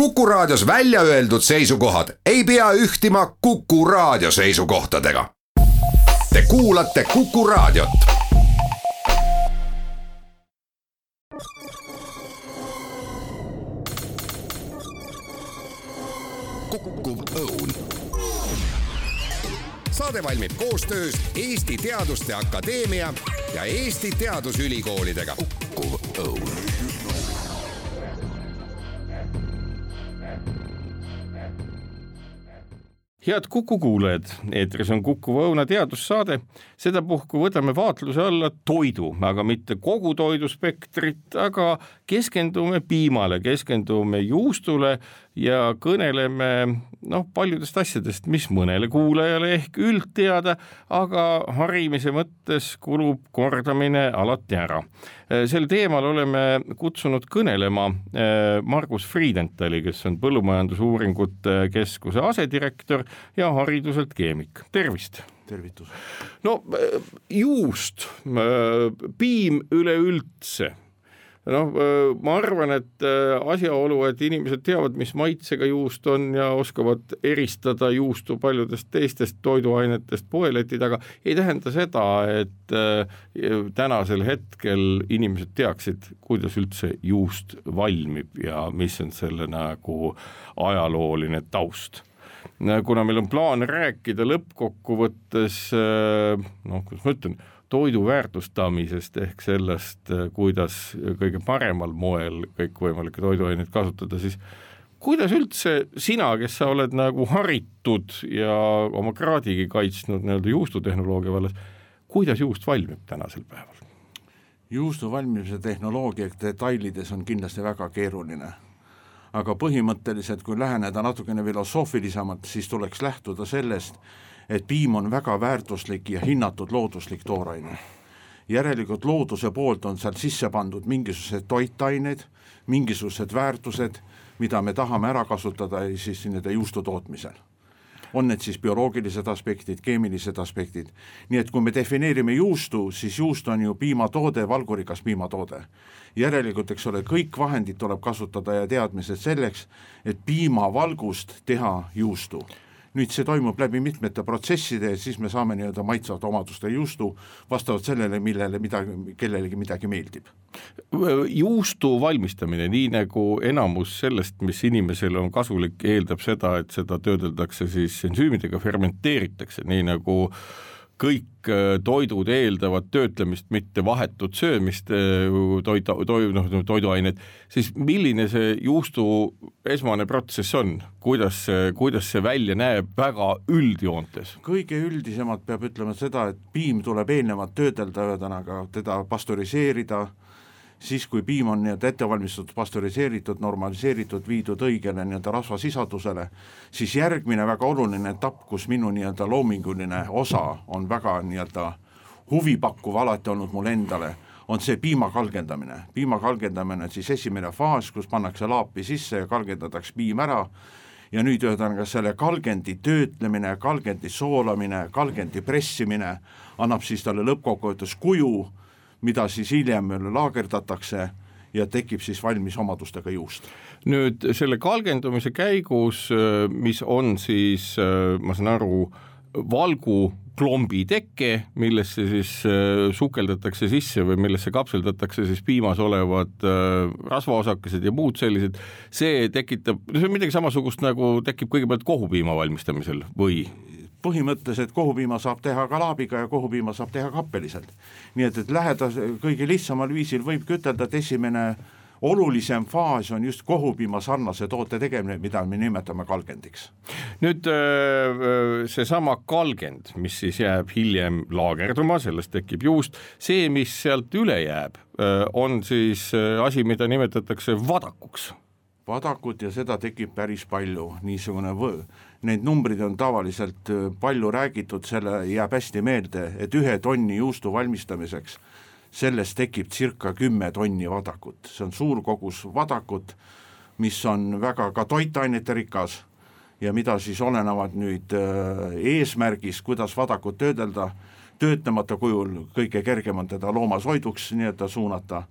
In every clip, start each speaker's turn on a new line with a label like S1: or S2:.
S1: Kuku Raadios välja öeldud seisukohad ei pea ühtima Kuku Raadio seisukohtadega. Te kuulate Kuku Raadiot. Kukkuv Õun. Saade valmib koostöös Eesti Teaduste Akadeemia ja Eesti Teadusülikoolidega. Kukkuv Õun.
S2: Head Kuku kuulajad, eetris on Kuku Õuna teadussaade. Sedapuhku võtame vaatluse alla toidu, aga mitte kogu toiduspektrit, aga keskendume piimale, keskendume juustule ja kõneleme paljudest asjadest, mis mõnele kuulajale ehk üldteada, aga harimise mõttes kulub kordamine alati ära. Sel teemal oleme kutsunud kõnelema Margus Friedentali, kes on Põllumajandusuuringute Keskuse asedirektor ja hariduselt keemik. Tervist!
S3: Tervitus!
S2: Juust, piim üleüldse. Ma arvan, et asjaolu, et inimesed teavad, mis maitsega juust on ja oskavad eristada juustu paljudest teistest toiduainetest poeleti taga, ei tähenda seda, et tänasel hetkel inimesed teaksid, kuidas üldse juust valmib ja mis on selle nagu ajalooline taust. Kuna meil on plaan rääkida lõppkokkuvõttes, kuidas ma ütlen, toidu väärtustamisest ehk sellest, kuidas kõige paremal moel kõikvõimalikke toiduaineid kasutada, siis kuidas üldse sina, kes sa oled nagu haritud ja oma kraadigi kaitsnud nii-öelda juustutehnoloogia vallas, kuidas juust valmib tänasel päeval?
S3: Juustu valmimise tehnoloogia detailides on kindlasti väga keeruline. Aga põhimõtteliselt, kui läheneda natukene filosoofilisemalt, siis tuleks lähtuda sellest, et piim on väga väärtuslik ja hinnatud looduslik tooraine. Järelikult looduse poolt on seal sisse pandud mingisugused toitained, mingisugused väärtused, mida me tahame ära kasutada siis nende juustu tootmisel. On need siis bioloogilised aspektid, keemilised aspektid. Nii et kui me defineerime juustu, siis juust on ju piimatoode, valgurikas piimatoode. Järelikult, eks ole, kõik vahendid tuleb kasutada ja teadmised selleks, et piimavalgust teha juustu. Nüüd see toimub läbi mitmete protsesside ja siis me saame nii-öelda maitsvat omaduste juustu vastavalt sellele, kellelegi midagi meeldib.
S2: Juustu valmistamine, nii nagu enamus sellest, mis inimesele on kasulik, eeldab seda, et seda töödeldakse siis ensüümidega, fermenteeritakse, nii nagu kõik toidud eeldavad töötlemist, mitte vahetut söömist, toiduained, siis milline see juustu esmane protsess on? Kuidas see välja näeb väga üldjoontes?
S3: Kõige üldisemalt peab ütlema seda, et piim tuleb eelnevalt töödelda, teda pastöriseerida, siis kui piim on ettevalmistatud, pastöriseeritud, normaliseeritud, viidud õigele rasvasisaldusele, siis järgmine väga oluline etapp, kus minu loominguline osa on väga huvipakkuv alati olnud mul endale, on see piima kalgendamine. Piima kalgendamine on siis esimene faas, kus pannakse laapi sisse ja kalgendatakse piim ära ja nüüd selle kalgendi töötlemine, kalgendi soolamine, kalgendi pressimine annab siis talle lõppkokkuvõttes kuju, mida siis hiljem laagerdatakse ja tekib siis valmis omadustega juust.
S2: Nüüd selle kalgendumise käigus, mis on siis, ma saan aru, valgu klombi teke, millesse siis sukeldatakse sisse või millesse kapseldatakse siis piimas olevad rasvaosakesed ja muud sellised, see tekitab, see on midagi samasugust nagu tekib kõigepealt kohupiima valmistamisel või?
S3: Põhimõtteliselt kohupiima saab teha ka laabiga ja kohupiima saab teha kappeliselt. Nii et läheda kõige lihtsamal viisil võib ütelda, et esimene olulisem faas on just kohupiima sarnase toote tegemine, mida me nimetame kalgendiks.
S2: Nüüd seesama kalgend, mis siis jääb hiljem laagerduma, sellest tekib juust, see, mis sealt üle jääb, on siis asi, mida nimetatakse vadakuks.
S3: Vadakut ja seda tekib päris palju, niisugune Need numbrid on tavaliselt palju räägitud, selle jääb hästi meelde, et 1 tonni juustu valmistamiseks sellest tekib circa 10 tonni vadakut. See on suur kogus vadakut, mis on väga ka toitainete rikas ja mida siis olenavad nüüd eesmärgis, kuidas vadakut töödelda, töötlemata kujul kõige kergem on teda loomasoiduks nii-öelda suunata,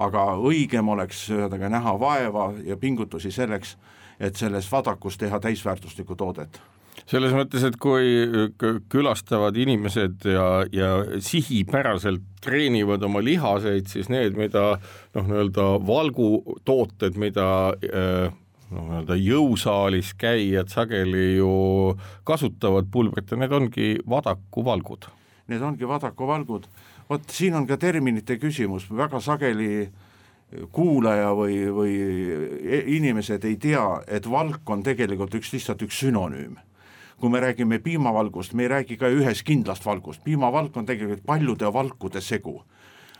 S3: aga õigem oleks näha vaeva ja pingutusi selleks, et sellest vadakust teha täisväärtuslikku toodet.
S2: Selles mõttes, et kui külastavad inimesed ja sihipäraselt treenivad oma lihaseid, siis need, mida nii-öelda valgutooted, mida nii-öelda jõusaalis käijad sageli ju kasutavad pulbrita, need ongi vadakuvalgud.
S3: Need ongi vadakuvalgud. Vot siin on ka terminite küsimus, väga sageli kuulaja või inimesed ei tea, et valk on tegelikult lihtsalt üks sünonüüm. Kui me räägime piimavalgust, me ei räägi ka ühes kindlast valgust. Piimavalk on tegelikult paljude valkude segu.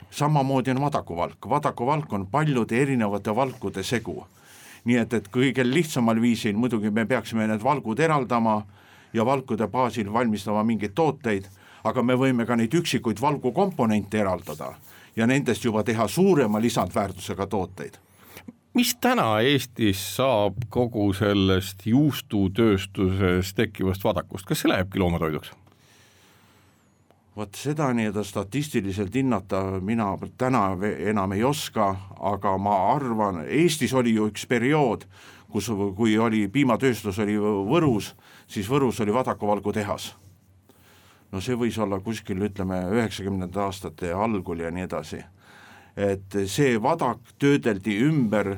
S3: Samamoodi on vadakuvalk on paljude erinevate valkude segu. Nii et kõige lihtsamal viisil muidugi me peaksime need valgud eraldama ja valkude baasil valmistama mingeid tooteid, aga me võime ka neid üksikuid valgukomponente eraldada ja nendest juba teha suurema lisandväärtusega tooteid.
S2: Mis täna Eestis saab kogu sellest juustutööstuses tekkivast vadakust? Kas see lähebki loomatoiduks?
S3: Vot seda nii-öelda statistiliselt hinnata mina täna enam ei oska, aga ma arvan, Eestis oli ju üks periood, kui oli piimatööstus oli Võrus, siis Võrus oli vadakuvalgu tehas. No see võis olla kuskil, ütleme, 90. aastate algul ja nii edasi. Et see vadak töödeldi ümber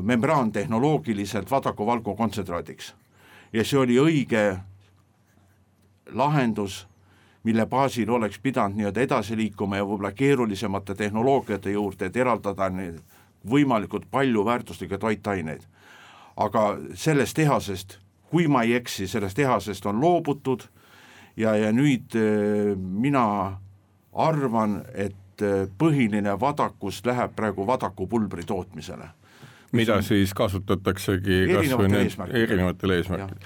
S3: membraantehnoloogiliselt vadakuvalgu kontsentraadiks. Ja see oli õige lahendus, mille baasil oleks pidanud nii-öelda edasi liikuma ja võib-olla keerulisemate tehnoloogiate juurde, et eraldada võimalikult palju väärtuslikke toitaineid. Aga sellest tehasest, kui ma ei eksi, sellest tehasest on loobutud ja nüüd mina arvan, et põhiline vadakus läheb praegu vadakupulbri tootmisele.
S2: Mida siis kasutataksegi erinevatel eesmärkidel.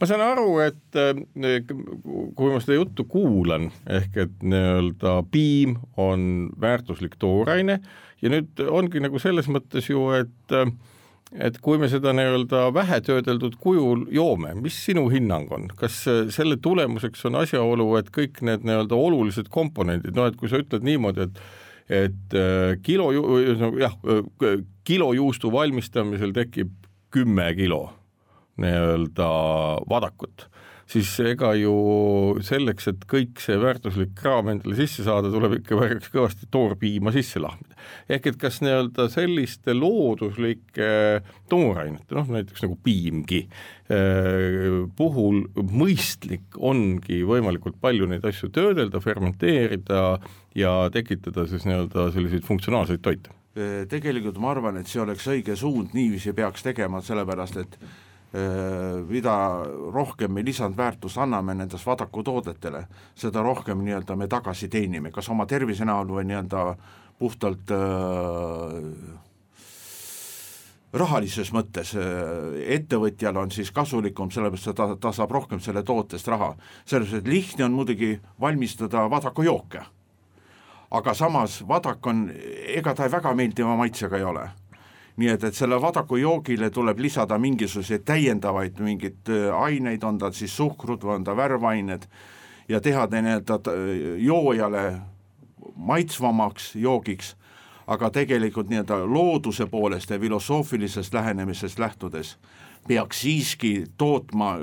S2: Ma saan aru, et kui ma seda juttu kuulan, ehk et nii-öelda piim on väärtuslik tooraine ja nüüd ongi nagu selles mõttes ju, et kui me seda nii-öelda vähetöödeldud kujul joome, mis sinu hinnang on? Kas selle tulemuseks on asjaolu, et kõik need nii-öelda olulised komponendid, et kui sa ütled niimoodi, et kilo juustu valmistamisel tekib 10 kilo nii-öelda vadakut, siis ega ju selleks, et kõik see väärtuslik kraam endale sisse saada, tuleb ikka väga kõvasti toorpiima sisse lahmida. Ehk et kas nii-öelda selliste looduslike toorainete, näiteks nagu piimgi puhul mõistlik ongi võimalikult palju neid asju töödelda, fermenteerida ja tekitada siis nii-öelda selliseid funktsionaalseid toite?
S3: Tegelikult ma arvan, et see oleks õige suund, niiviisi peaks tegema, sellepärast et mida rohkem me lisandväärtus anname nendest vadakutoodetele, seda rohkem nii-öelda me tagasi teenime, kas oma tervise näol või nii-öelda puhtalt rahalises mõttes. Ettevõtjal on siis kasulikum, sellepärast ta saab rohkem selle tootest raha. Sellepärast, et lihtne on muidugi valmistada vadakujooke, aga samas vadak on, ega ta väga meeldiva maitsega ei ole. Nii et selle vadakujoogile tuleb lisada mingisuguseid täiendavaid mingid aineid, on ta siis suhkrud või on ta värvained ja teha joojale maitsvamaks joogiks, aga tegelikult nii-öelda looduse poolest ja filosoofilisest lähenemisest lähtudes peaks siiski tootma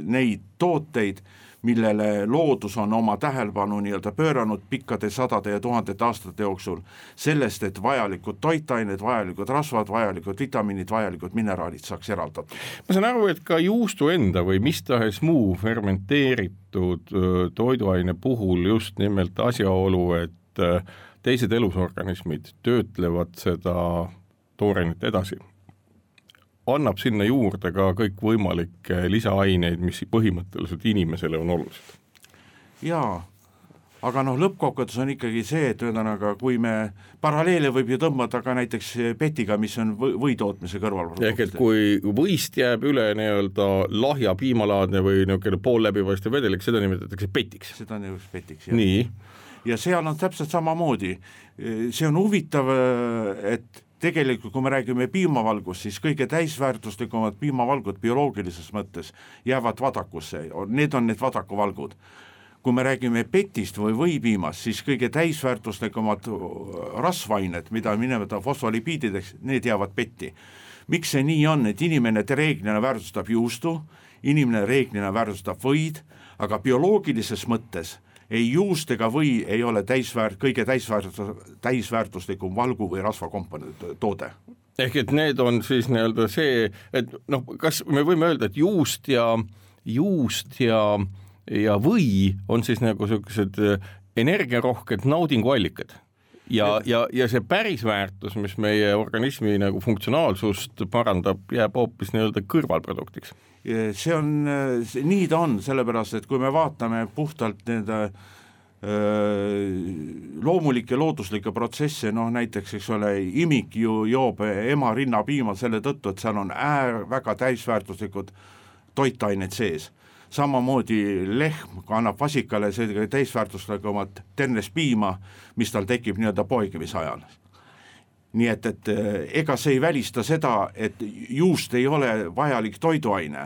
S3: neid tooteid, millele loodus on oma tähelepanu nii-öelda pööranud pikkade sadade ja tuhandete aastate jooksul sellest, et vajalikud toitained, vajalikud rasvad, vajalikud vitamiinid, vajalikud mineraalid saaks eraldatud.
S2: Ma saan aru, et ka juustu enda või mis tahes muu fermenteeritud toiduaine puhul just nimelt asjaolu, et teised elusorganismid töötlevad seda toorainet edasi, annab sinna juurde ka kõik võimalikke lisaaineid, mis põhimõtteliselt inimesele on olulised.
S3: Jaa, aga lõppkokkuvõttes on ikkagi see, et ühesõnaga, kui me paralleele võib ju tõmmata ka näiteks petiga, mis on võitootmise kõrval.
S2: Ehk et kui võist jääb üle nii-öelda lahja piimalaadne või pool läbipaistev vedelik, seda nimetatakse petiks.
S3: Seda nimetatakse petiks, jah.
S2: Nii.
S3: Ja seal on täpselt samamoodi. See on huvitav, et tegelikult, kui me räägime piimavalgust, siis kõige täisväärtuslikumad piimavalgud bioloogilises mõttes jäävad vadakusse. Need on need vadakuvalgud. Kui me räägime petist või võipiimast, siis kõige täisväärtuslikumad rasvained, mida nimetada fosfolipiidideks, need jäävad petti. miks see nii on, et inimene reeglina väärtustab juustu, inimene reeglina väärtustab võid, aga bioloogilises mõttes ei juust ega või ei ole kõige täisväärtuslikum valgu või rasvakomponent toode.
S2: Ehk et need on siis nii-öelda see, et noh, kas me võime öelda, et juust ja või on siis nagu sellised energiarohked naudinguallikad ja see päris väärtus, mis meie organismi nagu funktsionaalsust parandab, jääb hoopis nii-öelda kõrvalproduktiks.
S3: Nii ta on, sellepärast, et kui me vaatame puhtalt nende loomulikke looduslikke protsesse, näiteks, eks ole, imik ju joob ema rinnapiima selle tõttu, et seal on väga täisväärtuslikud toitained sees. Samamoodi lehm annab vasikale täisväärtuslikumat ternespiima, mis tal tekib nii-öelda poegimise ajal. Nii et ega see ei välista seda, et juust ei ole vajalik toiduaine,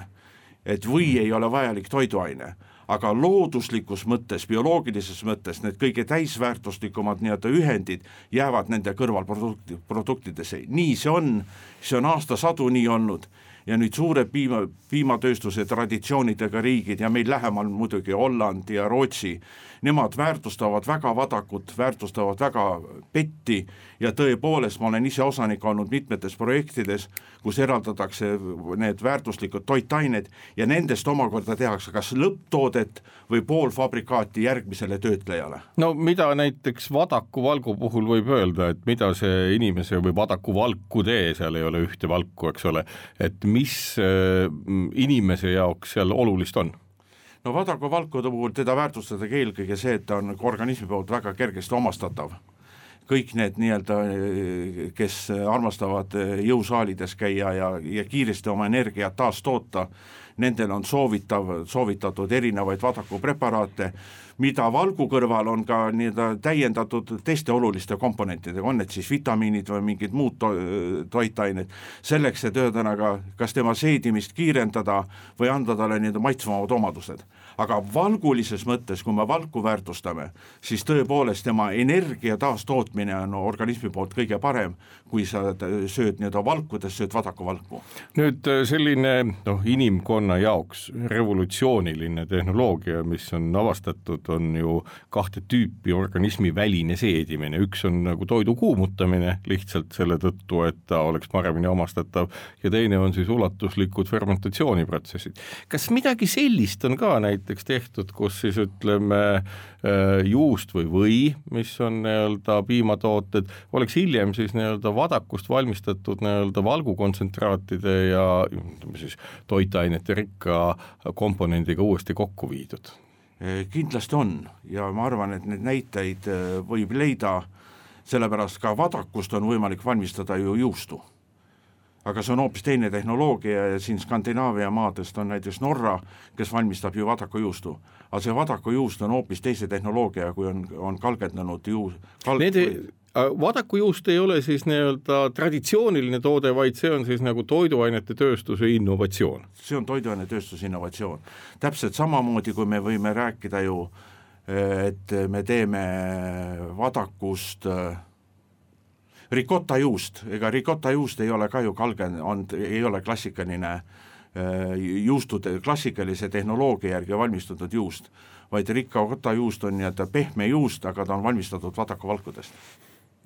S3: et või ei ole vajalik toiduaine, aga looduslikus mõttes, bioloogilises mõttes need kõige täisväärtuslikumad nii-öelda ühendid jäävad nende kõrvalproduktidesse. Nii see on aastasadu nii olnud ja nüüd suured piimatööstuse traditsioonidega riigid ja meil lähemal muidugi Holland ja Rootsi, nemad väärtustavad väga vadakut, väärtustavad väga petti ja tõepoolest ma olen ise osanik olnud mitmetes projektides, kus eraldatakse need väärtuslikud toitained ja nendest omakorda tehakse kas lõpptoodet või poolfabrikaati järgmisele töötlejale.
S2: No mida näiteks vadakuvalgu puhul võib öelda, et mida see inimese või vadakuvalku tee, seal ei ole ühte valku, eks ole, et mis inimese jaoks seal olulist on?
S3: No vadakuvalkude puhul teda väärtustatakse eelkõige see, et ta on organismi poolt väga kergesti omastatav. Kõik need nii-öelda, kes armastavad jõusaalides käia ja kiiresti oma energiat taas toota, nendel on soovitatud erinevaid vadakupreparaate, mida valgu kõrval on ka nii-öelda täiendatud teiste oluliste komponentidega, on need siis vitamiinid või mingid muud toitained, selleks, et ühesõnaga kas tema seedimist kiirendada või anda talle nii-öelda maitsvamad omadused. Aga valgulises mõttes, kui me valku väärtustame, siis tõepoolest tema energia taastootmine on organismi poolt kõige parem, kui sa sööd nii-öelda valkudes, sööd vadakuvalku.
S2: Nüüd selline inimkonna jaoks revolutsiooniline tehnoloogia, mis on avastatud, on ju kahte tüüpi organismi väline seedimine. Üks on nagu toidu kuumutamine lihtsalt selle tõttu, et ta oleks paremini omastatav ja teine on siis ulatuslikud fermentatsiooniprotsessid. Kas midagi sellist on ka näiteks tehtud, kus siis ütleme juust või, mis on nii-öelda piimatooted, oleks hiljem siis nii-öelda vadakust valmistatud nii-öelda valgukontsentraatide ja siis toitainete rikka komponendiga uuesti kokku viidud?
S3: Kindlasti on ja ma arvan, et need näiteid võib leida, sellepärast ka vadakust on võimalik valmistada ju juustu. Aga see on hoopis teine tehnoloogia ja siin Skandinaavia maadest on näiteks Norra, kes valmistab ju vadakujuustu. Aga see vadakujuust on hoopis teise tehnoloogia, kui on kalgendanud
S2: Vadakujuust ei ole siis nii-öelda traditsiooniline toode, vaid see on siis nagu toiduainete tööstuse innovatsioon.
S3: See on toiduainete tööstuse innovatsioon. Täpselt samamoodi, kui me võime rääkida ju, et me teeme vadakust rikottajuust, ega rikottajuust ei ole ka ju ei ole klassikaline juustude, klassikalise tehnoloogia järgi valmistatud juust, vaid rikottajuust on nii-öelda pehme juust, aga ta on valmistatud vadakuvalkudest.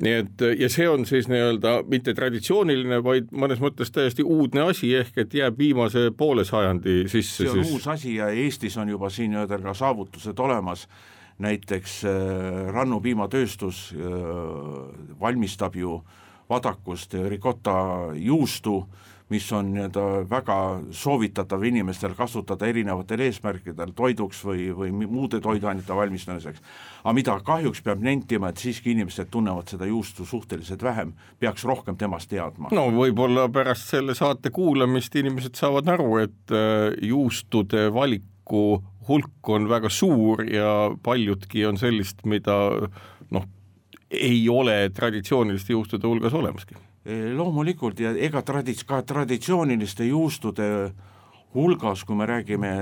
S2: Nii et, ja see on siis nii-öelda mitte traditsiooniline, vaid mõnes mõttes täiesti uudne asi, ehk et jääb viimase poole sajandi sisse.
S3: See on uus asi ja Eestis on juba siin ka saavutused olemas. Näiteks rannupiimatööstus valmistab ju vadakust rikotta juustu, mis on väga soovitatav inimestel kasutada erinevatel eesmärkidel toiduks või muude toiduainete valmistamiseks. Aga mida kahjuks peab nentima, et siiski inimesed tunnevad seda juustu suhteliselt vähem, peaks rohkem temast teadma.
S2: No võib-olla pärast selle saate kuulamist inimesed saavad aru, et juustude valiku hulk on väga suur ja paljudki on sellist, mida ei ole traditsiooniliste juustude hulgas olemaski.
S3: Loomulikult ja ega ka traditsiooniliste juustude hulgas, kui me räägime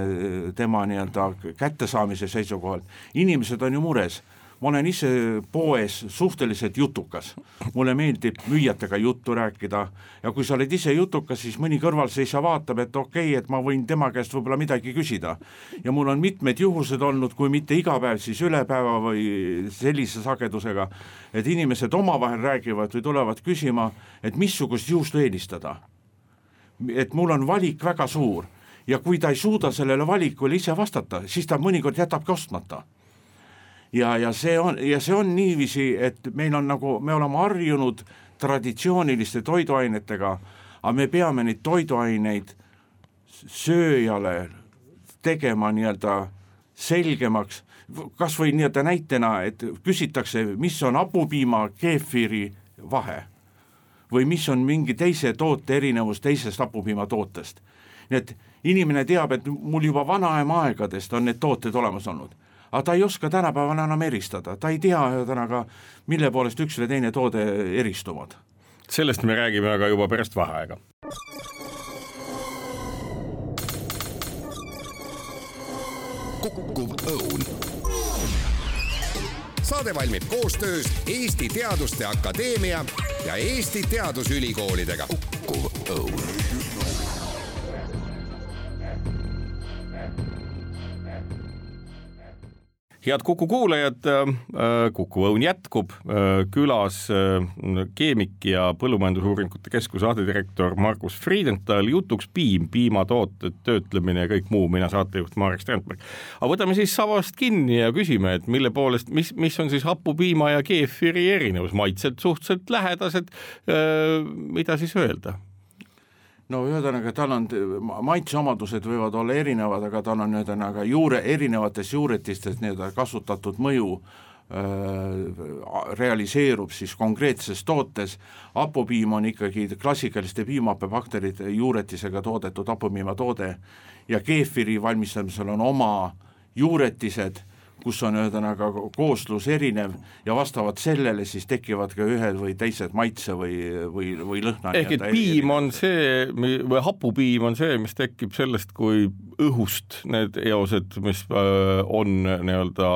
S3: tema nii-öelda kättesaamise seisukohalt, inimesed on ju mures, ma olen ise poes suhteliselt jutukas, mulle meeldib müüjatega juttu rääkida ja kui sa oled ise jutukas, siis mõni kõrvalseisja vaatab, et okei, et ma võin tema käest võib-olla midagi küsida ja mul on mitmed juhused olnud, kui mitte iga päev, siis üle päeva või sellise sagedusega, et inimesed omavahel räägivad või tulevad küsima, et missugust juustu eelistada, et mul on valik väga suur ja kui ta ei suuda sellele valikule ise vastata, siis ta mõnikord jätabki ostmata. Ja see on niiviisi, et meil on nagu, me oleme harjunud traditsiooniliste toiduainetega, aga me peame neid toiduaineid sööjale tegema nii-öelda selgemaks, kas või nii-öelda näitena, et küsitakse, mis on hapupiima keefiri vahe või mis on mingi teise toote erinevus teisest hapupiima tootest. Nii et inimene teab, et mul juba vanaema aegadest on need tooted olemas olnud. Aga ta ei oska tänapäeval enam eristada, ta ei tea tänaga, mille poolest üks või teine toode eristuvad.
S2: Sellest me räägime aga juba pärast vaheaega.
S1: Kukkuv õun. Saade valmib koostöös Eesti Teaduste Akadeemia ja Eesti Teadusülikoolidega. Kukkuv õun.
S2: Head Kuku kuulajad, Kuku õun jätkub, külas keemik ja põllumajandusuuringute keskuse asedirektor Margus Friedenthal, jutuks piimatooted, töötlemine ja kõik muu, mina saatejuht Marek Strandberg. Aga võtame siis savast kinni ja küsime, et mille poolest, mis on siis hapupiima ja keefiri erinevus, maitselt suhteliselt lähedased, mida siis öelda?
S3: No ühesõnaga, tal on maitseomadused võivad olla erinevad, aga tal on ühesõnaga erinevates juuretistes kasutatud mõju realiseerub siis konkreetses tootes. Hapupiim on ikkagi klassikaliste piimahappebakterite juuretisega toodetud hapupiima toode ja keefiri valmistamisel on oma juuretised, kus on ühesõnaga kooslus erinev ja vastavalt sellele siis tekivad ka ühed või teised maitse või lõhna.
S2: Ehk et piim on see, või hapupiim on see, mis tekib sellest, kui õhust need eosed, mis on nii-öelda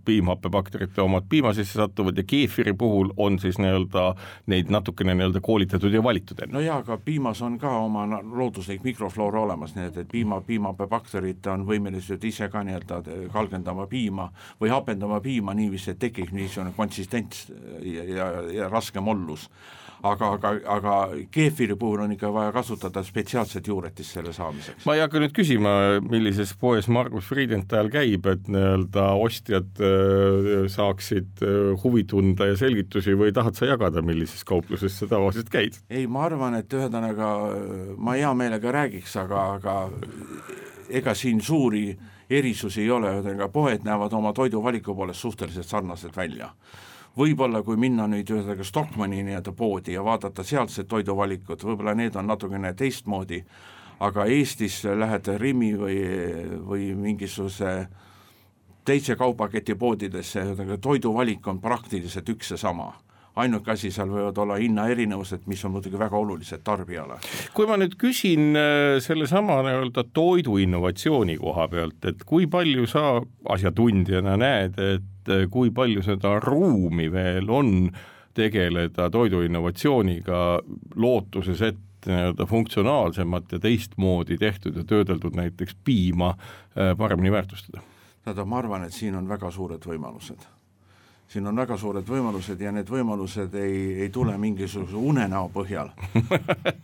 S2: piimhappebakterite omad piima sisse satuvad ja keefiri puhul on siis nii-öelda neid natukene nii-öelda koolitatud ja valitud enne.
S3: No jaa, aga piimas on ka oma looduslik mikrofloora olemas, nii et piimahappebakterid on võimelised ise ka nii-öelda kalgendama piima või hapendama piima niiviisi, et tekib niisugune konsistents ja raske mollus. Aga keefiri puhul on ikka vaja kasutada spetsiaalset juuretist selle saamiseks.
S2: Ma ei hakka nüüd küsima, millises poes Margus Friedenthal käib, et nii-öelda ostjad saaksid huvi tunda ja selgitusi või tahad sa jagada, millises kaupluses sa tavaliselt käid?
S3: Ei, ma arvan, et ühesõnaga ma hea meelega räägiks, aga ega siin suuri erisusi ei ole, ühesõnaga poed näevad oma toiduvaliku poolest suhteliselt sarnased välja. Võib-olla kui minna nüüd ühesõnaga Stockmanni nii-öelda poodi ja vaadata sealsed toiduvalikut, võib-olla need on natukene teistmoodi, aga Eestis lähed Rimi või mingisuguse teise kaubaketi poodidesse, toiduvalik on praktiliselt üks ja sama. Ainuke asi seal võivad olla hinna erinevused, mis on muidugi väga olulised tarbijale.
S2: Kui ma nüüd küsin selle sama nii-öelda toidu innovatsiooni koha pealt, et kui palju sa asjatundjana näed, et kui palju seda ruumi veel on tegeleda toidu innovatsiooniga lootuses, et nii-öelda funktsionaalsemat ja teistmoodi tehtud ja töödeldud näiteks piima paremini väärtustada?
S3: Ma arvan, et siin on väga suured võimalused. Siin on väga suured võimalused ja need võimalused ei tule mingisuguse unenäo põhjal.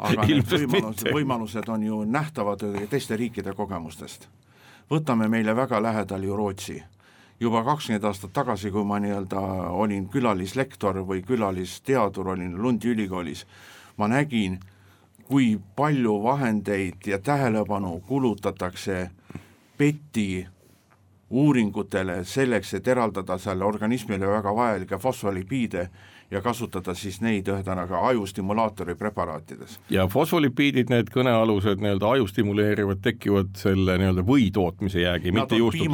S3: Aga need võimalused on ju nähtavad teiste riikide kogemustest. Võtame meile väga lähedal ju Rootsi. Juba 20 aastat tagasi, kui ma nii-öelda olin külalislektor või külalisteadur, olin Lundi ülikoolis, ma nägin, kui palju vahendeid ja tähelepanu kulutatakse PET-i uuringutele selleks, et eraldada selle organismile väga vajalike fosfolipiide ja kasutada siis neid ühesõnaga ajustimulaatori preparaatides.
S2: Ja fosfolipiidid, need kõnealused nii-öelda aju stimuleerivad, tekivad selle nii-öelda või tootmise jäägi, mitte juustu.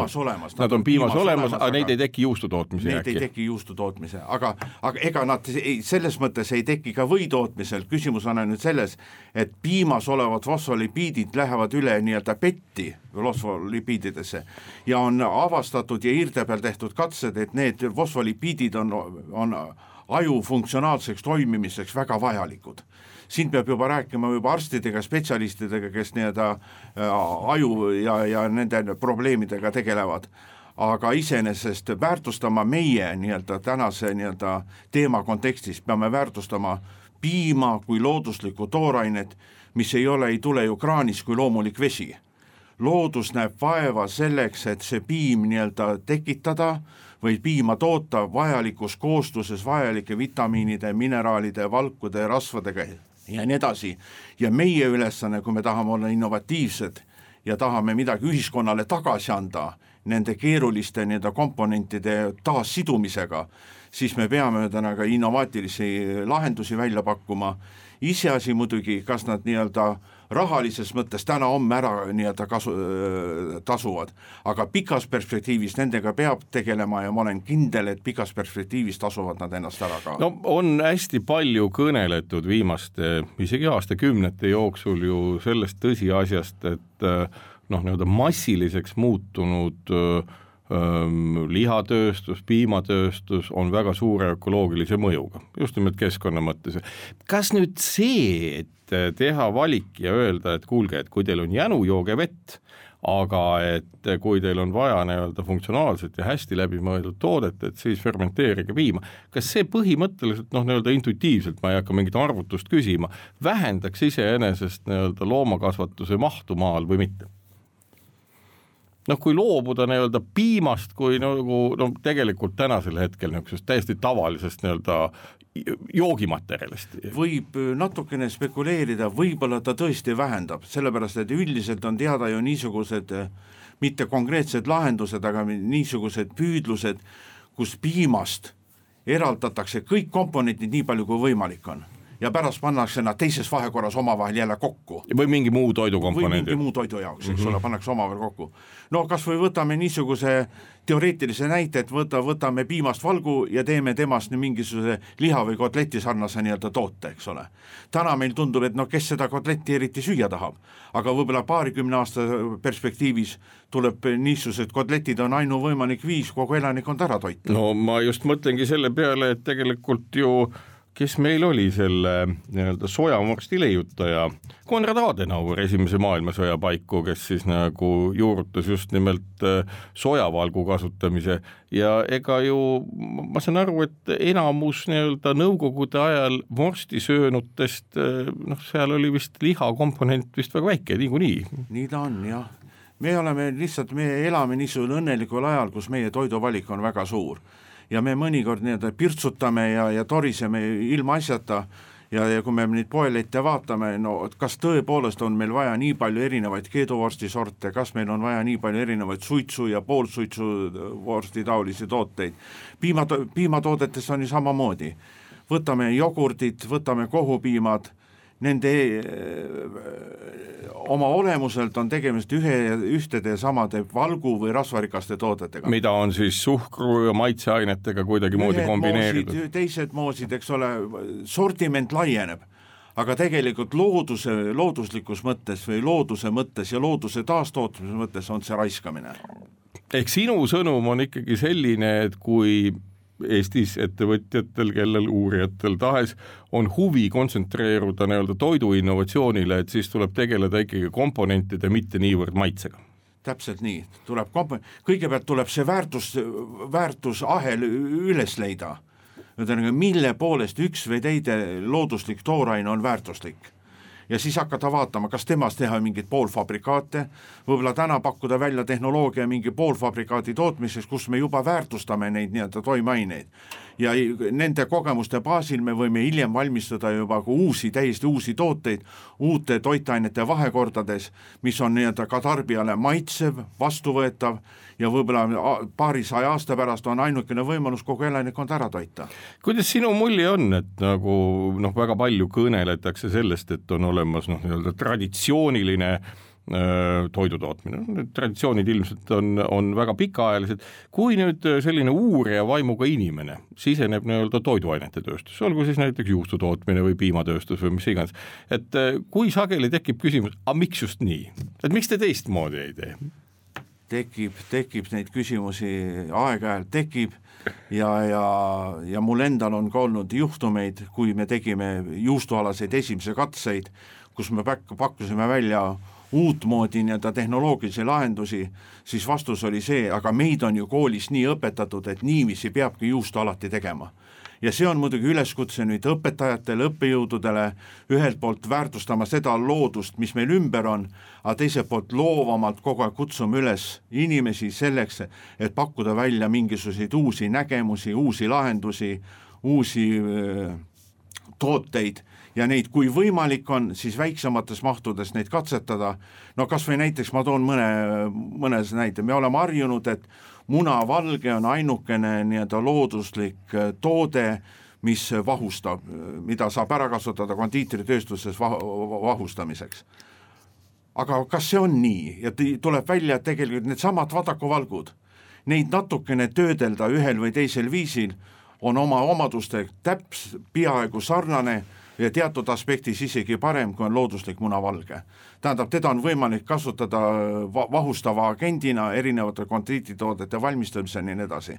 S2: Nad on piimas olemas, aga neid ei teki juustu tootmise jäägi.
S3: Neid ei teki juustu tootmise, aga ega nad selles mõttes ei teki ka või tootmisel. Küsimus on ainult selles, et piimas olevad fosfolipiidid lähevad üle nii-öelda petti fosfolipiididesse ja on avastatud ja irde peal tehtud katsed, et need fosfolipiidid on aju funktsionaalseks toimimiseks väga vajalikud. Siin peab juba rääkima juba arstidega, spetsialistidega, kes nii-öelda aju ja nende probleemidega tegelevad. Aga iseenesest väärtustama meie nii-öelda tänase nii-öelda teema kontekstis peame väärtustama piima kui looduslikku toorainet, mis ei tule ju kraanis kui loomulik vesi. Loodus näeb vaeva selleks, et see piim nii-öelda tekitada või piima toota vajalikus koostuses vajalike vitamiinide, mineraalide, valkude, rasvadega ja nii edasi. Ja meie ülesanne, kui me tahame olla innovatiivsed ja tahame midagi ühiskonnale tagasi anda nende keeruliste nii-öelda komponentide taassidumisega, siis me peame tänaga innovaatilisi lahendusi välja pakkuma. Iseasi muidugi, kas nad nii-öelda rahalises mõttes täna-homme ära nii-öelda tasuvad, aga pikas perspektiivis nendega peab tegelema ja ma olen kindel, et pikas perspektiivis tasuvad nad ennast ära ka.
S2: No on hästi palju kõneletud viimaste, isegi aastakümnete jooksul ju sellest tõsiasjast, et nii-öelda massiliseks muutunud lihatööstus, piimatööstus on väga suure ökoloogilise mõjuga, just nimelt keskkonna mõttes. Kas nüüd see, et teha valik ja öelda, et kuulge, et kui teil on jänu, jooge vett, aga et kui teil on vaja nii-öelda funktsionaalselt ja hästi läbimõeldud toodet, et siis fermenteerige piima. Kas see põhimõtteliselt, nii-öelda intuitiivselt, ma ei hakka mingit arvutust küsima, vähendaks iseenesest nii-öelda loomakasvatuse mahtu maal või mitte? Kui loobuda nii-öelda piimast kui tegelikult tänasel hetkel niisugusest täiesti tavalisest nii-öelda joogimaterjalist.
S3: Võib natukene spekuleerida, võib-olla ta tõesti vähendab, sellepärast et üldiselt on teada ju niisugused, mitte konkreetsed lahendused, aga niisugused püüdlused, kus piimast eraldatakse kõik komponentid nii palju kui võimalik on. Ja pärast pannakse nad teises vahekorras omavahel jälle kokku.
S2: Või mingi muu toidukomponendi.
S3: Või mingi muu toidu jaoks, eks ole, pannakse omavahel kokku. No kas või võtame niisuguse teoreetilise näite, et võtame piimast valgu ja teeme temast mingisuguse liha või kotleti sarnase nii-öelda toote, eks ole. Täna meil tundub, et kes seda kotletti eriti süüa tahab, aga võib-olla 20 aasta perspektiivis tuleb niisugused kotletid on ainuvõimalik viis kogu elanikkond ära toita.
S2: No ma just mõtlengi selle peale, et tegelikult ju kes meil oli selle nii-öelda sojamorsti leiutaja, Konrad Adenauer esimese maailmasõja paiku, kes siis nagu juurutas just nimelt sojavalgu kasutamise ja ega ju ma saan aru, et enamus nii-öelda nõukogude ajal vorsti söönutest, seal oli vist lihakomponent vist väga väike, niikuinii.
S3: Nii ta on, jah. Me elame niisugune õnnelikul ajal, kus meie toiduvalik on väga suur. Ja me mõnikord nii-öelda pirtsutame ja toriseme ilma asjata ja kui me neid poelette vaatame, kas tõepoolest on meil vaja nii palju erinevaid keeduvorsti sorte, kas meil on vaja nii palju erinevaid suitsu ja poolsuitsu vorsti taolisi tooteid. Piimatoodetes on ju samamoodi. Võtame jogurtid, võtame kohupiimad, nende oma olemuselt on tegemist ühtede samade valgu või rasvarikaste toodetega.
S2: Mida on siis suhkru ja maitseainetega kuidagi moodi kombineeritud.
S3: Teised moosid, eks ole, sortiment laieneb, aga tegelikult looduslikus mõttes või looduse mõttes ja looduse taastootmise mõttes on see raiskamine.
S2: Ehk sinu sõnum on ikkagi selline, et kui Eestis ettevõtjatel, kellel uurijatel tahes on huvi kontsentreeruda nii-öelda toidu innovatsioonile, et siis tuleb tegeleda ikkagi komponentide, mitte niivõrd maitsega.
S3: Täpselt nii, kõigepealt tuleb see väärtusahel üles leida, mille poolest üks või teide looduslik tooraine on väärtuslik. Ja siis hakata vaatama, kas temast teha mingid poolfabrikaate, võib-olla täna pakkuda välja tehnoloogia mingi poolfabrikaati tootmiseks, kus me juba väärtustame neid nii-öelda toimeaineid. ja nende kogemuste baasil me võime hiljem valmistada juba täiesti uusi tooteid uute toitainete vahekordades, mis on nii-öelda ka tarbijale maitsev, vastuvõetav ja võib-olla paarisaja aasta pärast on ainukene võimalus kogu elanikkond ära toita.
S2: Kuidas sinu mulje on, et nagu väga palju kõneletakse sellest, et on olemas nii-öelda traditsiooniline toidutootmine. Traditsioonid ilmselt on väga pikaajalised. Kui nüüd selline uurija vaimuga inimene siseneb nii-öelda toiduainete tööstus, olgu siis näiteks juustutootmine või piimatööstus või mis iganes, et kui sageli tekib küsimus, miks just nii? Et miks te teistmoodi ei tee?
S3: Tekib neid küsimusi, aeg-ajalt tekib ja mul endal on ka olnud juhtumeid, kui me tegime juustualaseid esimese katseid, kus me pakkusime välja uutmoodi nii-öelda tehnoloogilisi lahendusi, siis vastus oli see, aga meid on ju koolis nii õpetatud, et niiviisi peabki juustu alati tegema. Ja see on muidugi üleskutse nüüd õpetajatele, õppejõududele ühelt poolt väärtustama seda loodust, mis meil ümber on, aga teiselt poolt loovamalt kogu aeg kutsume üles inimesi selleks, et pakkuda välja mingisuguseid uusi nägemusi, uusi lahendusi, uusi tooteid ja neid, kui võimalik on, siis väiksemates mahtudes neid katsetada. No kas või näiteks ma toon mõnes näite, me oleme harjunud, et munavalge on ainukene nii-öelda looduslik toode, mis vahustab, mida saab ära kasutada kondiitritööstuses vahustamiseks. Aga kas see on nii? Ja tuleb välja, et tegelikult need samad vadakuvalgud, neid natukene töödelda ühel või teisel viisil on oma omaduste peaaegu sarnane ja teatud aspektis isegi parem, kui on looduslik munavalge. Tähendab, teda on võimalik kasutada vahustava agendina erinevate kondiitritoodete valmistamisel ja nii edasi.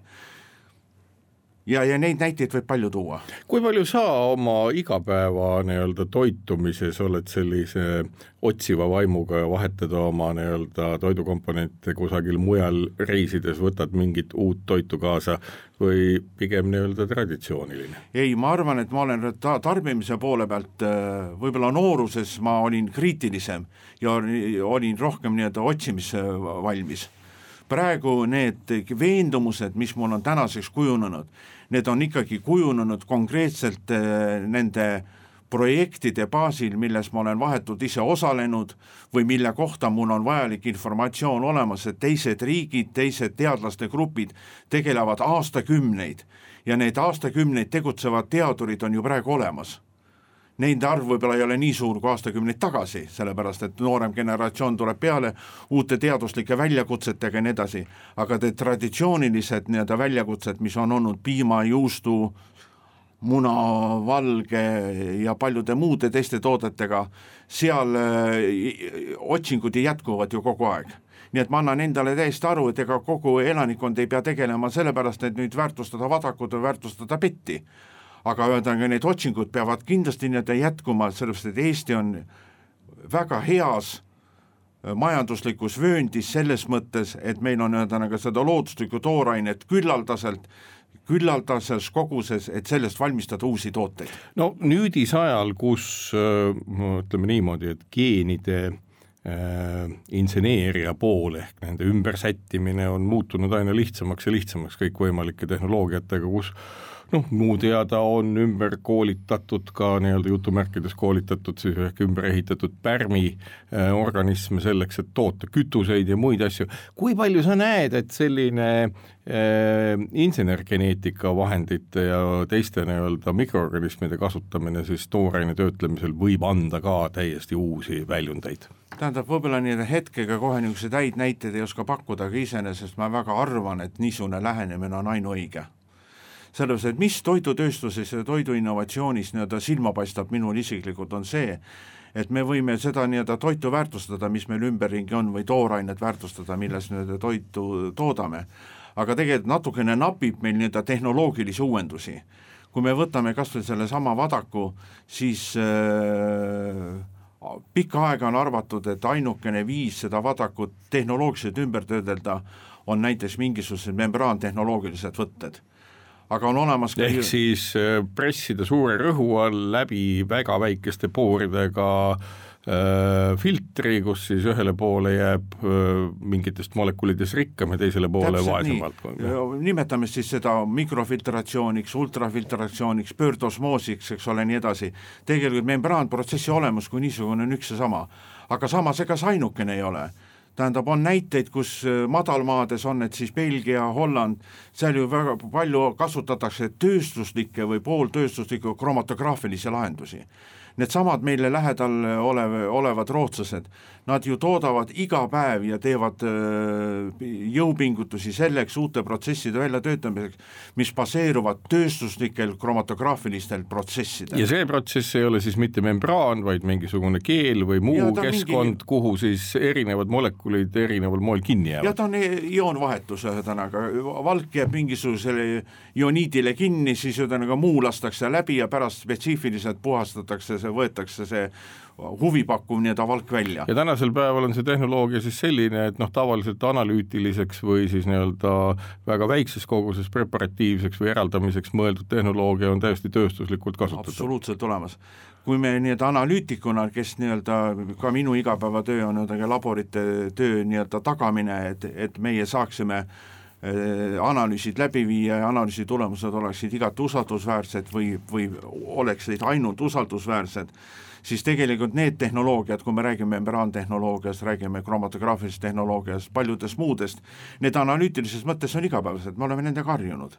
S3: Ja neid näiteid võib palju tuua.
S2: Kui palju sa oma igapäeva nii-öelda toitumises oled sellise otsiva vaimuga ja vahetad oma nii-öelda toidukomponente kusagil mujal reisides, võtad mingit uut toitu kaasa või pigem nii-öelda traditsiooniline?
S3: Ei, ma arvan, et ma olen tarbimise poole pealt, võib-olla nooruses ma olin kriitilisem ja olin rohkem nii-öelda otsimise valmis. Praegu need veendumused, mis mul on tänaseks kujunenud, need on ikkagi kujunenud konkreetselt nende projektide baasil, milles ma olen vahetult ise osalenud või mille kohta mul on vajalik informatsioon olemas, et teised riigid, teised teadlaste grupid tegelevad aastakümneid ja need aastakümneid tegutsevad teadurid on ju praegu olemas. Neid arv võib-olla ei ole nii suur kui aastakümneid tagasi, sellepärast et noorem generatsioon tuleb peale uute teaduslike väljakutsetega ja nii edasi, aga need traditsioonilised nii-öelda väljakutsed, mis on olnud piima, juustu, muna, valge ja paljude muude teiste toodetega, seal otsingud jätkuvad ju kogu aeg. Nii et ma annan endale täiesti aru, et ega kogu elanikkond ei pea tegelema sellepärast, et nüüd väärtustada vadakut või väärtustada petti. Aga öeldagi, need otsingud peavad kindlasti jätkuma, sellepärast et Eesti on väga heas majanduslikus vööndis selles mõttes, et meil on seda looduslikku toorainet küllaldases koguses, et sellest valmistada uusi tooteid.
S2: No nüüdisajal, kus ütleme niimoodi, et geenide inseneeria pool ehk nende ümbersättimine on muutunud aina lihtsamaks ja lihtsamaks kõikvõimalike tehnoloogiatega, kus muu teada on ümber koolitatud ka nii-öelda jutumärkides koolitatud siis ehk ümber ehitatud pärmi organisme selleks, et toota kütuseid ja muid asju. Kui palju sa näed, et selline insenergeneetika vahendite ja teiste nii-öelda mikroorganismide kasutamine siis tooraine töötlemisel võib anda ka täiesti uusi väljundeid?
S3: Tähendab, võib-olla nii hetkega kohe niisugused häid näiteid ei oska pakkuda, aga iseenesest ma väga arvan, et niisugune lähenemine on ainuõige. Sellepärast, et mis toidutööstuses ja toiduinnovatsioonis nii-öelda silma paistab minul isiklikult on see, et me võime seda nii-öelda toitu väärtustada, mis meil ümberringi on, või toorainet väärtustada, milles nii-öelda toitu toodame. Aga tegelikult natukene napib meil nii-öelda tehnoloogilisi uuendusi. Kui me võtame kas või selle sama vadaku, siis pikka aega on arvatud, et ainukene viis seda vadakut tehnoloogiliselt ümber töödelda on näiteks mingisugused membraantehnoloogilised võtted. Aga on olemas
S2: ehk siis pressida suure rõhu all läbi väga väikeste pooridega filtri, kus siis ühele poole jääb mingitest molekulides rikkam ja teisele poole vaesem valdkond.
S3: Nimetame siis seda mikrofiltratsiooniks, ultrafiltratsiooniks, pöördosmoosiks, eks ole, nii edasi. Tegelikult membraanprotsessi olemus kui niisugune on üks ja sama, aga samas ega see ainukene ei ole. Tähendab, on näiteid, kus madalmaades on, et siis Belgia, Holland, seal ju väga palju kasutatakse tööstuslikke või pooltööstuslikke kromatograafilisi lahendusi. Need samad meile lähedal olevad rootslased, nad ju toodavad iga päev ja teevad jõupingutusi selleks uute protsesside väljatöötamiseks, mis baseeruvad tööstuslikel kromatograafilistel protsessidel.
S2: Ja see protsess ei ole siis mitte membraan, vaid mingisugune keel või muu keskkond, kuhu siis erinevad molekulid erineval moel kinni jäävad.
S3: Ja ta on ioonvahetus, ühesõnaga, valk jääb mingisugusele ioniidile kinni, siis ühesõnaga muu lastakse läbi ja pärast spetsiifiliselt puhastatakse, võetakse see huvipakkuv nii-öelda valk välja.
S2: Ja tänasel päeval on see tehnoloogia siis selline, et tavaliselt analüütiliseks või siis nii-öelda väga väikses koguses preparatiivseks või eraldamiseks mõeldud tehnoloogia on täiesti tööstuslikult kasutatud.
S3: Absoluutselt olemas. Kui me nii-öelda analüütikuna, kes nii-öelda ka minu igapäevatöö on laborite töö nii-öelda tagamine, et meie saaksime analüüsid läbi viia ja analüüsi tulemused oleksid igati usaldusväärsed või oleksid ainult usaldusväärsed, siis tegelikult need tehnoloogiad, kui me räägime membraantehnoloogiast, räägime kromatograafilisest tehnoloogiast, paljudest muudest, need analüütilises mõttes on igapäevased, me oleme nendega harjunud.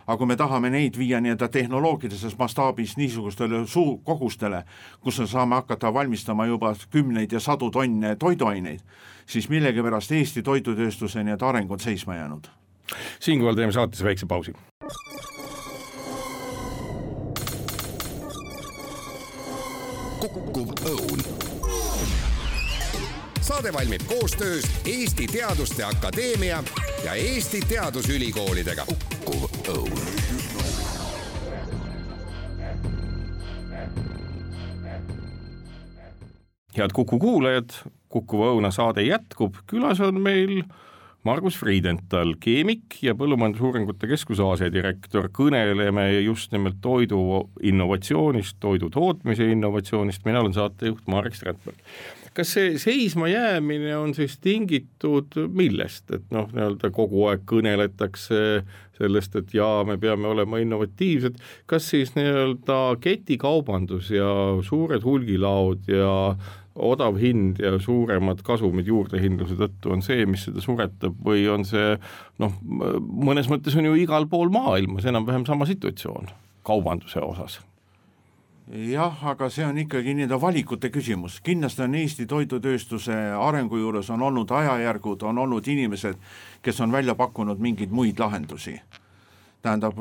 S3: Aga kui me tahame neid viia nii-öelda tehnoloogilises mastaabis niisugustele kogustele, kus me saame hakata valmistama juba 10 ja 100 tonne toiduaineid, siis millegipärast Eesti toidutööstuse nii-öelda areng on seisma jäänud.
S2: Siinkohal teeme saates väikse pausi.
S1: Kukkuv õun. Saade valmib koostöös Eesti Teaduste Akadeemia ja Eesti Teadusülikoolidega. Kukkuv õun.
S2: Head Kuku kuulajad, Kukkuva õuna saade jätkub. Külas on meil Margus Friedenthal, keemik ja Põllumajandusuuringute Keskuse asedirektor. Kõneleme just nimelt toidu innovatsioonist, toidu tootmise innovatsioonist. Mina olen saatejuht Marek Strandberg. Kas see seisma jäämine on siis tingitud millest? Et nii-öelda kogu aeg kõneletakse sellest, et me peame olema innovatiivsed. Kas siis nii-öelda ketikaubandus ja suured hulgilaod ja odav hind ja suuremad kasumid juurdehindluse tõttu on see, mis seda suretab, või on see, mõnes mõttes on ju igal pool maailmas enam-vähem sama situatsioon kaubanduse osas?
S3: Jah, aga see on ikkagi nii-öelda valikute küsimus. Kindlasti on Eesti toidutööstuse arengu juures on olnud ajajärgud, on olnud inimesed, kes on välja pakkunud mingeid muid lahendusi. Tähendab,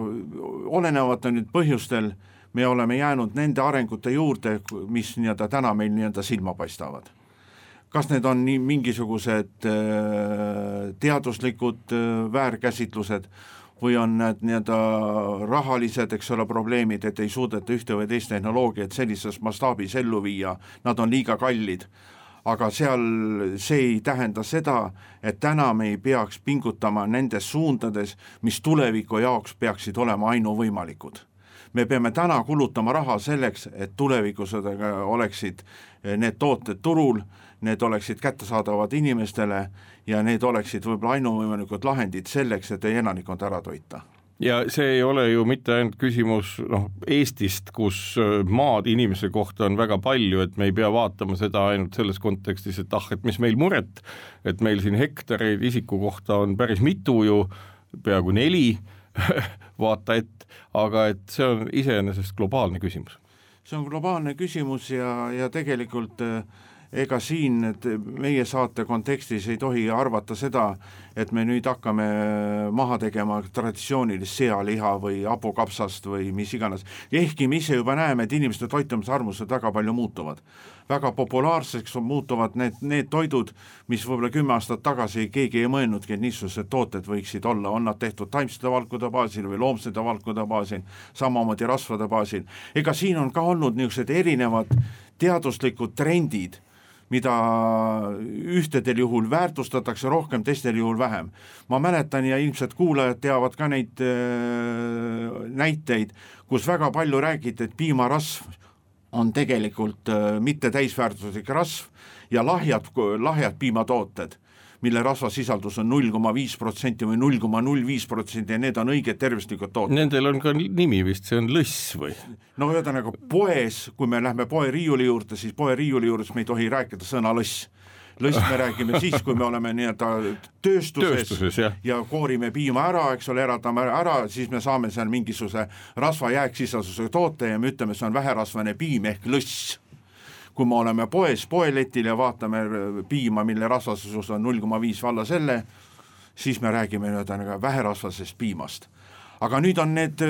S3: olenevalt on nüüd põhjustel me oleme jäänud nende arengute juurde, mis nii-öelda täna meil nii-öelda silma paistavad. Kas need on mingisugused teaduslikud väärkäsitlused või on need nii-öelda rahalised, eks ole, probleemid, et ei suudeta ühte või teist tehnoloogiat sellises mastaabis ellu viia, nad on liiga kallid. Aga seal see ei tähenda seda, et täna me ei peaks pingutama nendes suundades, mis tuleviku jaoks peaksid olema ainuvõimalikud. Me peame täna kulutama raha selleks, et tulevikus oleksid need tooted turul, need oleksid kättesaadavad inimestele ja need oleksid võib-olla ainuvõimalikud lahendid selleks, et elanikkond ära toita.
S2: Ja see ei ole ju mitte ainult küsimus Eestist, kus maad inimese kohta on väga palju, et me ei pea vaatama seda ainult selles kontekstis, et mis meil muret, et meil siin hektareid isiku kohta on päris mitu ju, peaaegu 4 vaata aga et see on iseenesest globaalne küsimus.
S3: See on globaalne küsimus ja tegelikult ega siin meie saate kontekstis ei tohi arvata seda, et me nüüd hakkame maha tegema traditsioonilist sealiha või hapukapsast või mis iganes. Ehkki me ise juba näeme, et inimeste toitumisarmused väga palju muutuvad. Väga populaarseks muutuvad need toidud, mis võib-olla 10 aastat tagasi keegi ei mõelnudki, et niisugused tooted võiksid olla. On nad tehtud taimsete valkude baasil või loomsete valkude baasil, samamoodi rasvade baasil. Ega siin on ka olnud niisugused erinevad teaduslikud trendid, mida ühtedel juhul väärtustatakse rohkem, teistel juhul vähem. Ma mäletan ja ilmselt kuulajad teavad ka neid näiteid, kus väga palju räägiti, et piimarasv on tegelikult mitte täisväärtuslik rasv ja lahjad piimatooted, mille rasvasisaldus on 0,5% või 0,05% ja need on õiged tervislikud tooted.
S2: Nendel on ka nimi vist, see on lõss või?
S3: No ühesõnaga poes, kui me lähme poe riiuli juurde, siis poe riiuli juures me ei tohi rääkida sõna lõss. Lõss me räägime siis, kui me oleme nii-öelda tööstuses ja koorime piima ära, eks ole, eratame ära, siis me saame seal mingisuguse rasva jääksisalduse toote ja me ütleme, see on väherasvane piim ehk lõss. Kui me oleme poeletil ja vaatame piima, mille rasvasus on 0,5 valla selle, siis me räägime väherasvasest piimast. Aga nüüd on need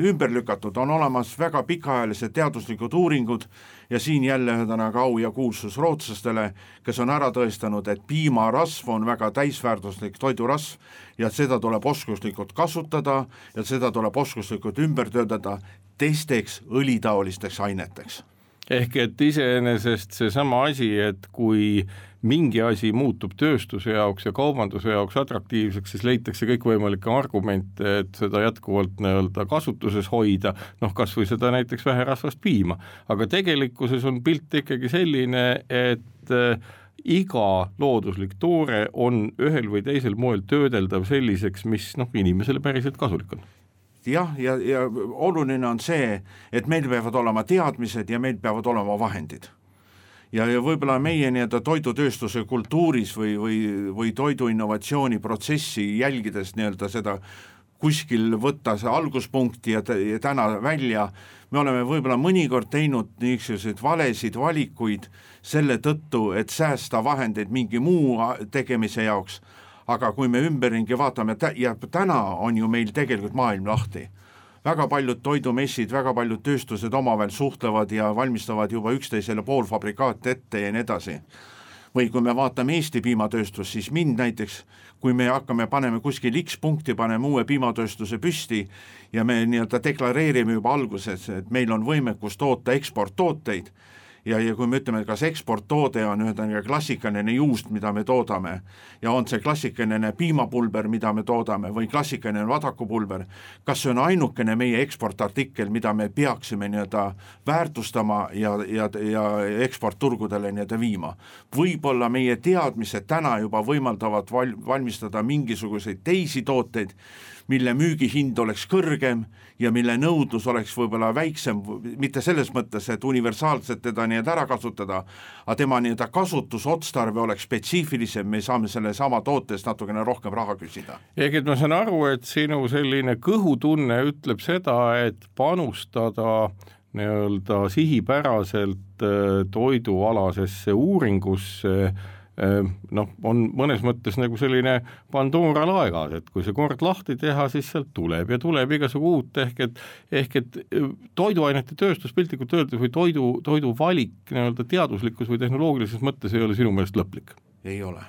S3: ümber lükatud, on olemas väga pikaajalised teaduslikud uuringud ja siin jälle au ja kuulsus rootslastele, kes on ära tõestanud, et piimarasv on väga täisväärtuslik toidurasv ja seda tuleb oskuslikult kasutada ja seda tuleb oskuslikult ümber töötada teisteks õlitaolisteks aineteks.
S2: Ehk et iseenesest see sama asi, et kui mingi asi muutub tööstuse jaoks ja kaubanduse jaoks atraktiivseks, siis leitakse kõikvõimalikke argumente, et seda jätkuvalt nii-öelda kasutuses hoida, kas või seda näiteks väherasvast piima. Aga tegelikkuses on pilt ikkagi selline, et iga looduslik toore on ühel või teisel moel töödeldav selliseks, mis inimesele päriselt kasulik on.
S3: Jah, ja oluline on see, et meil peavad olema teadmised ja meil peavad olema vahendid. Ja võib-olla meie toidutööstuse kultuuris või toidu innovatsiooni protsessi jälgides seda kuskil võtta see alguspunkti ja täna välja, me oleme võib-olla mõnikord teinud niisuguseid valesid valikuid selle tõttu, et säästa vahendeid mingi muu tegemise jaoks. Aga kui me ümberringi vaatame, ja täna on ju meil tegelikult maailm lahti. Väga paljud toidumessid, väga paljud tööstused omavahel suhtlevad ja valmistavad juba üksteisele poolfabrikaat ette ja nii edasi. Või kui me vaatame Eesti piimatööstus, siis mind näiteks, kui me paneme kuskil X punkti, paneme uue piimatööstuse püsti ja me deklareerime juba alguses, et meil on võimekus toota eksporttooteid, ja kui me ütleme, kas eksporttoode on klassikaline juust, mida me toodame, ja on see klassikaline piimapulber, mida me toodame, või klassikaline vadakupulber, kas see on ainukene meie eksportartikkel, mida me peaksime väärtustama ja eksportturgudele viima. Võib-olla meie teadmised täna juba võimaldavad valmistada mingisuguseid teisi tooteid, mille müügihind oleks kõrgem ja mille nõudlus oleks võib-olla väiksem, mitte selles mõttes, et universaalselt teda ära kasutada, aga tema kasutusotstarve oleks spetsiifilisem, me saame selle sama tootest natukene rohkem raha küsida.
S2: Ehk et ma saan aru, et sinu selline kõhutunne ütleb seda, et panustada nii-öelda sihipäraselt toidualasesse uuringusse on mõnes mõttes nagu selline Pandora laegas, et kui see kord lahti teha, siis sealt tuleb igasugu uut, ehk et toiduainete tööstus piltlikult öeldes või toidu valik nii-öelda teaduslikus või tehnoloogilises mõttes ei ole sinu meelest lõplik?
S3: Ei ole.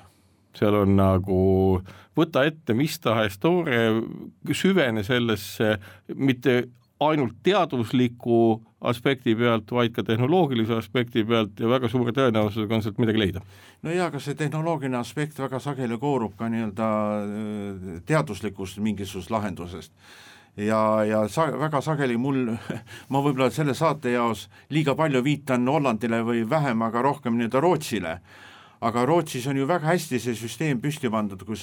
S2: Seal on nagu võta ette mis tahes toore, süvene sellesse mitte ainult teadusliku aspekti pealt, vaid ka tehnoloogilise aspekti pealt ja väga suure tõenäosusega on sealt midagi leida.
S3: No ja, aga see tehnoloogiline aspekt väga sageli koorub ka teaduslikust mingisugust lahendusest. Ja väga sageli ma võib-olla selle saate jaos liiga palju viitan Hollandile või vähem, aga rohkem Rootsile. Aga Rootsis on ju väga hästi see süsteem püsti pandud, kus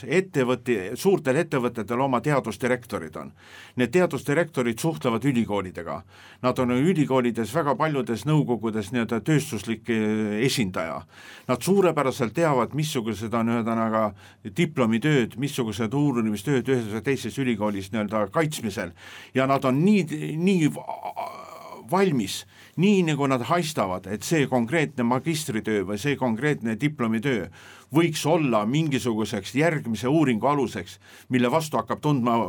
S3: suurtel ettevõtetel oma teadusdirektorid on. Need teadusdirektorid suhtlevad ülikoolidega. Nad on ülikoolides väga paljudes nõukogudes tööstuslik esindaja. Nad suurepäraselt teavad, missugused on diplomitööd, missugused uurimistööd ühes või teises ülikoolis kaitsmisel. Ja nad on nii valmis, nii nagu nad haistavad, et see konkreetne magistritöö või see konkreetne diplomitöö võiks olla mingisuguseks järgmise uuringu aluseks, mille vastu hakkab tundma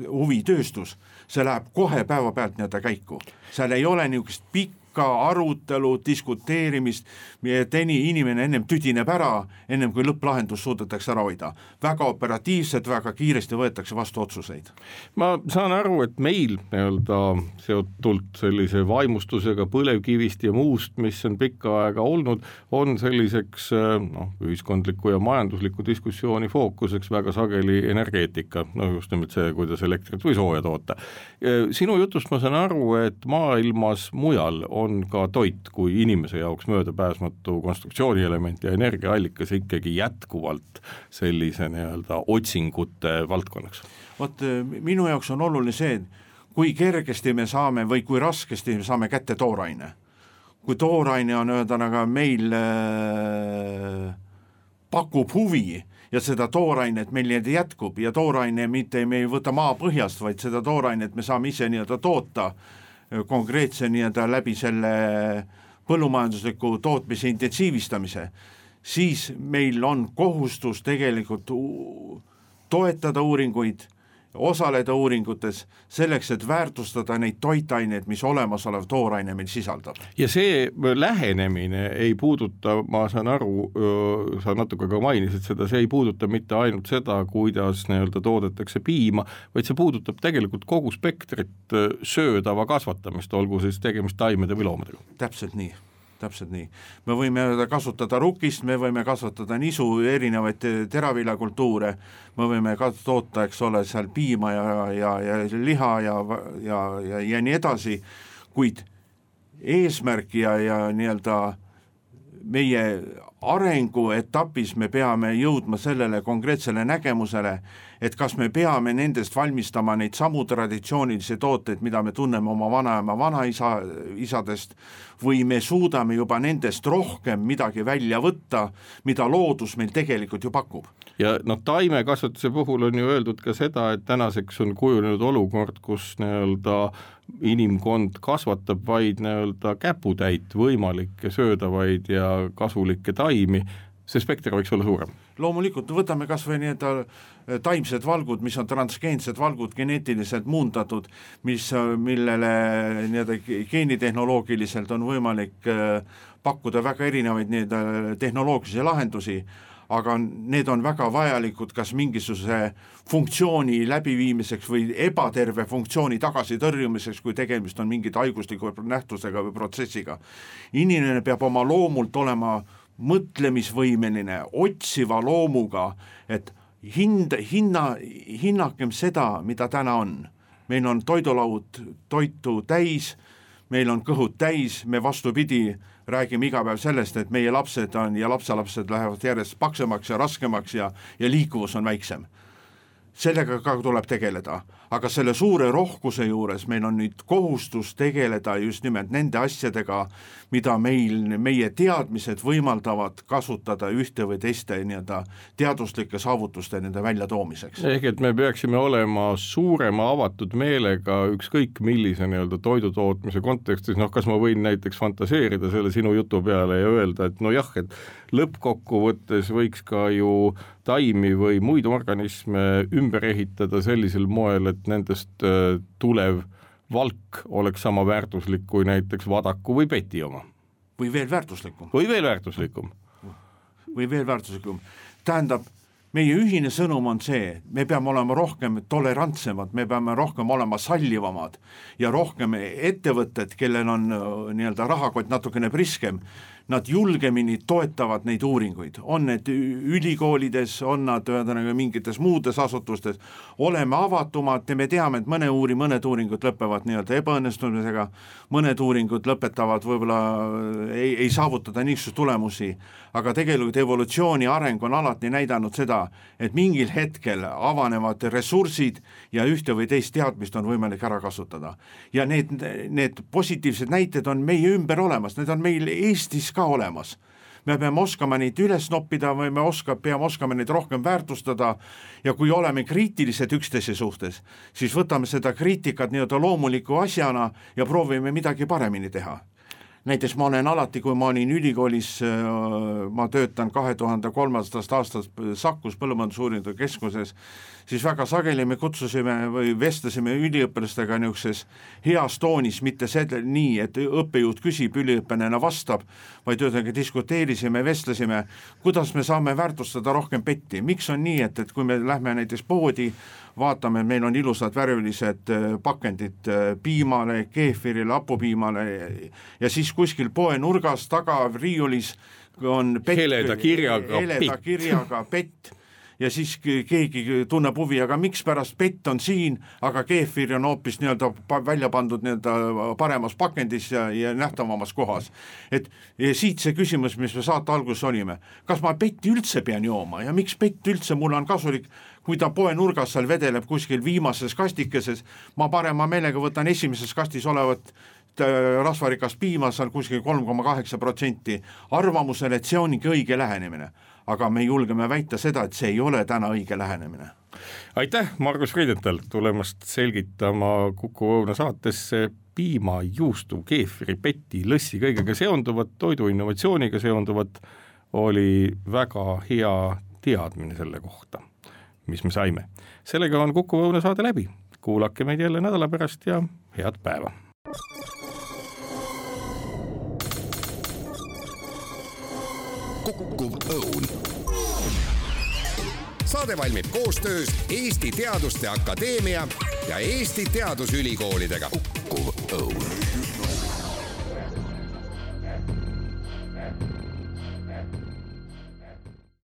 S3: huvi tööstus, see läheb kohe päevapealt käiku. Seal ei ole niisugust pikka arutelu, diskuteerimist, et inimene ennem tüdineb ära, ennem kui lõpplahendus suudetakse ära hoida. Väga operatiivselt, väga kiiresti võetakse vastu otsuseid.
S2: Ma saan aru, et meil seotult sellise vaimustusega põlevkivist ja muust, mis on pikka aega olnud, on selliseks ühiskondliku ja majandusliku diskussiooni fookuseks väga sageli energeetika, just nimelt see, kuidas elektrit või sooja toota. Sinu jutust ma saan aru, et maailmas mujal on ka toit kui inimese jaoks möödapääsmatu konstruktsioonielement ja energiaallikas ikkagi jätkuvalt sellise nii-öelda otsingute valdkonnaks?
S3: Vot minu jaoks on oluline see, kui kergesti me saame või kui raskesti me saame kätte tooraine. Kui tooraine on öeldanaga meil pakub huvi ja seda toorainet meil jätkub ja tooraine mitte me ei võta maa põhjast, vaid seda toorainet me saame ise nii-öelda toota konkreetse nii-öelda läbi selle põllumajandusliku tootmise intensiivistamise, siis meil on kohustus tegelikult toetada uuringuid, osaleda uuringutes selleks, et väärtustada neid toitaineid, mis olemasolev tooraine meil sisaldab.
S2: Ja see lähenemine ei puuduta, ma saan aru, sa natuke ka mainisid seda, see ei puuduta mitte ainult seda, kuidas nii-öelda toodetakse piima, vaid see puudutab tegelikult kogu spektrit söödava kasvatamist, olgu siis tegemist taimede või loomadega.
S3: Täpselt nii. Me võime kasutada rukist, me võime kasvatada nisu, erinevaid teraviljakultuure, me võime toota, eks ole, seal piima ja liha ja nii edasi, kuid eesmärk ja nii-öelda meie arenguetapis me peame jõudma sellele konkreetsele nägemusele, et kas me peame nendest valmistama neid samu traditsioonilisi tooteid, mida me tunneme oma vanaema vanaisadest, või me suudame juba nendest rohkem midagi välja võtta, mida loodus meil tegelikult ju pakub.
S2: Ja taimekasvatuse puhul on ju öeldud ka seda, et tänaseks on kujunenud olukord, kus nii-öelda inimkond kasvatab vaid nii-öelda käputäit võimalikke söödavaid ja kasulikke taimi, see spekter võiks olla suurem.
S3: Loomulikult võtame kas või nii-öelda taimsed valgud, mis on transgeensed valgud, geneetiliselt muundatud, millele nii-öelda geenitehnoloogiliselt on võimalik pakkuda väga erinevaid nii-öelda tehnoloogilisi lahendusi, aga need on väga vajalikud kas mingisuguse funktsiooni läbiviimiseks või ebaterve funktsiooni tagasitõrjumiseks, kui tegemist on mingit haigusliku nähtusega või protsessiga. Inimene peab oma loomult olema mõtlemisvõimeline, otsiva loomuga, et hinnakem seda, mida täna on. Meil on toidulaud toitu täis, meil on kõhud täis, me vastupidi räägime iga päev sellest, et meie lapsed on ja lapselapsed lähevad järjest paksemaks ja raskemaks ja liikuvus on väiksem. Sellega ka tuleb tegeleda, aga selle suure rohkuse juures meil on nüüd kohustus tegeleda just nimelt nende asjadega, mida meie teadmised võimaldavad kasutada ühte või teiste nii-öelda teaduslike saavutuste nende väljatoomiseks.
S2: Ehk et me peaksime olema suurema avatud meelega ükskõik millise nii-öelda toidutootmise kontekstis, kas ma võin näiteks fantaseerida selle sinu jutu peale ja öelda, et et lõppkokkuvõttes võiks ka ju taimi või muid organisme ümber ehitada sellisel moel, et nendest tulev valk oleks sama väärtuslik kui näiteks vadaku või peti oma.
S3: Või veel väärtuslikum. Tähendab, meie ühine sõnum on see, me peame olema rohkem tolerantsemad, me peame rohkem olema sallivamad ja rohkem ettevõtted, kellel on nii-öelda rahakott natukene priskem, nad julgemini toetavad neid uuringuid, on need ülikoolides, on nad mingites muudes asutustes, oleme avatumad, me teame, et mõned uuringud lõpevad nii-öelda ebaõnnestumisega, mõned uuringud lõpetavad võib-olla ei saavutada niisugust tulemusi, aga tegelikult evolutsiooni areng on alati näidanud seda, et mingil hetkel avanevad ressursid ja ühte või teist teadmist on võimalik ära kasutada. Ja need positiivsed näited on meie ümber olemas, need on meil Eestis ka olemas. Me peame oskama neid üles noppida või peame oskama neid rohkem väärtustada ja kui oleme kriitilised üksteise suhtes, siis võtame seda kriitikat nii-öelda loomuliku asjana ja proovime midagi paremini teha. Näiteks ma olen alati, kui ma olin ülikoolis, ma töötan 2003. aastast Sakus Põllumajandusuuringute Keskuses, siis väga sageli me kutsusime või vestlesime üliõpilastega niisuguses heas toonis, mitte nii, et õppejõud küsib, üliõpilane vastab, vaid diskuteerisime, vestlesime, kuidas me saame väärtustada rohkem petti. Miks on nii, et kui me lähme näiteks poodi, vaatame, meil on ilusad värvilised pakendid piimale, keefirile, hapupiimale ja siis kuskil poe nurgas taga riiulis on pett,
S2: heleda kirjaga pett.
S3: ja siis keegi tunneb huvi, aga miks pärast pett on siin, aga keefir on hoopis nii-öelda välja pandud nii-öelda paremas pakendis ja nähtavamas kohas. Et ja siit see küsimus, mis me saate alguses olime, kas ma petti üldse pean jooma ja miks pett üldse mul on kasulik, kui ta poe nurgas seal vedeleb kuskil viimases kastikeses, ma parema meelega võtan esimeses kastis olevat rasvarikast piima, seal kuskil 3,8% arvamusel, et see ongi õige lähenemine. Aga me julgeme väita seda, et see ei ole täna õige lähenemine.
S2: Aitäh, Margus Freidenthal, tulemast selgitama Kuku Õuna saatesse piima, juustu, keefiri, peti, lõssi, kõigega seonduvat, toidu innovatsiooniga seonduvat, oli väga hea teadmine selle kohta, mis me saime. Sellega on Kuku Õuna saade läbi. Kuulake meid jälle nädala pärast ja head päeva.
S1: Kukkuv Õun. Saade valmib koostöös Eesti Teaduste Akadeemia ja Eesti Teadusülikoolidega. Kukkuv Õun.